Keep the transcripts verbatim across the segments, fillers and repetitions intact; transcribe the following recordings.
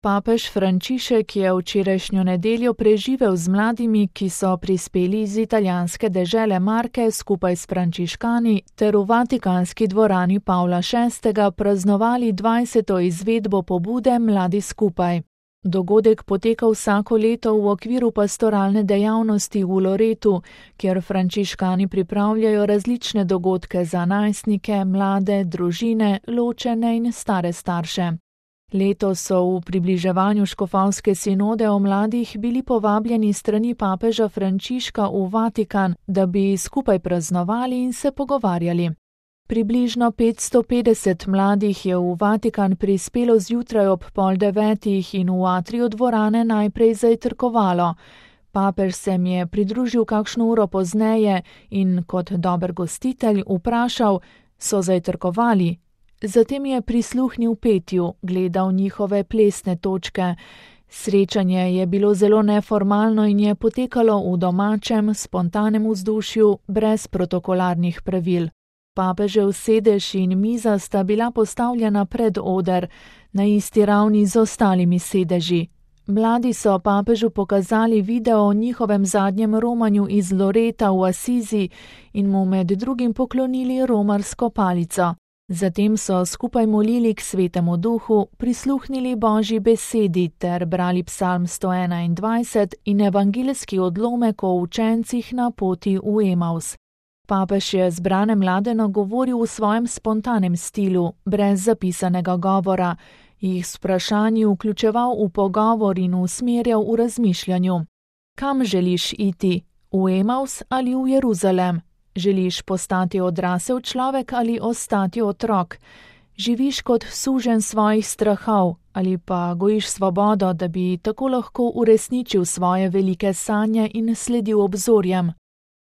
Papež Frančišek je včerajšnjo nedeljo preživel z mladimi, ki so prispeli iz italijanske dežele Marke skupaj s frančiškani ter v vatikanski dvorani Pavla šestega praznovali dvajseto izvedbo pobude Mladi skupaj. Dogodek poteka vsako leto v okviru pastoralne dejavnosti v Loretu, kjer frančiškani pripravljajo različne dogodke za najstnike, mlade, družine, ločene in stare starše. Letos so v približevanju škofovske sinode o mladih bili povabljeni strani papeža Frančiška v Vatikan, da bi skupaj praznovali in se pogovarjali. Približno petsto petdeset mladih je v Vatikan prispelo zjutraj ob pol devetih in v atriju dvorane najprej zajtrkovalo. Papež se mi je pridružil kakšno uro pozneje in kot dober gostitelj vprašal, so zajtrkovali. Zatem je prisluhnil petju, gledal njihove plesne točke. Srečanje je bilo zelo neformalno in je potekalo v domačem, spontanem vzdušju, brez protokolarnih pravil. Papežev sedež in miza sta bila postavljena pred oder, na isti ravni z ostalimi sedeži. Mladi so papežu pokazali video o njihovem zadnjem romanju iz Loreta v Asizi in mu med drugim poklonili romarsko palico. Zatem so skupaj molili k Svetemu Duhu, prisluhnili Božji besedi ter brali psalm sto enaindvajset in evangeljski odlomek o učencih na poti v Emaus. Papež je zbrane mlade nagovoril v svojem spontanem stilu, brez zapisanega govora, jih s vprašanji vključeval v pogovor in usmerjal v razmišljanju. Kam želiš iti? V Emaus ali v Jeruzalem? Želiš postati odrasel človek ali ostati otrok? Živiš kot suženj svojih strahov ali pa gojiš svobodo, da bi tako lahko uresničil svoje velike sanje in sledil obzorjem?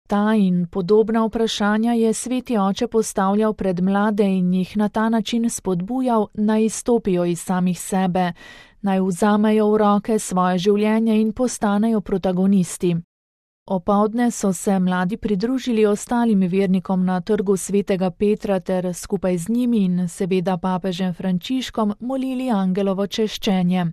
Ta in podobna vprašanja je Sveti Oče postavljal pred mlade in jih na ta način spodbujal, naj izstopijo iz samih sebe, naj vzamejo v roke svoje življenje in postanejo protagonisti. Opoldne so se mladi pridružili ostalim vernikom na trgu Svetega Petra ter skupaj z njimi in seveda papežem Frančiškom molili angelovo češčenje.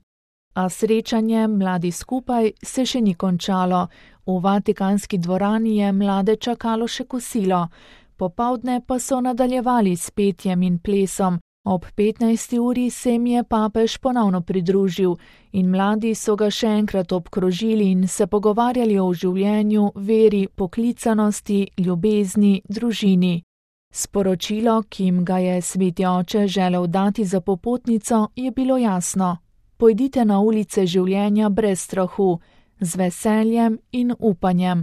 A srečanje Mladi skupaj se še ni končalo. V vatikanski dvorani je mlade čakalo še kosilo. Popoldne pa so nadaljevali s petjem in plesom. Ob petnajsti uri se jim je papež ponovno pridružil in mladi so ga še enkrat obkrožili in se pogovarjali o življenju, veri, poklicanosti, ljubezni, družini. Sporočilo, ki jim ga je Sveti Oče želel dati za popotnico, je bilo jasno. Pojdite na ulice življenja brez strahu, z veseljem in upanjem.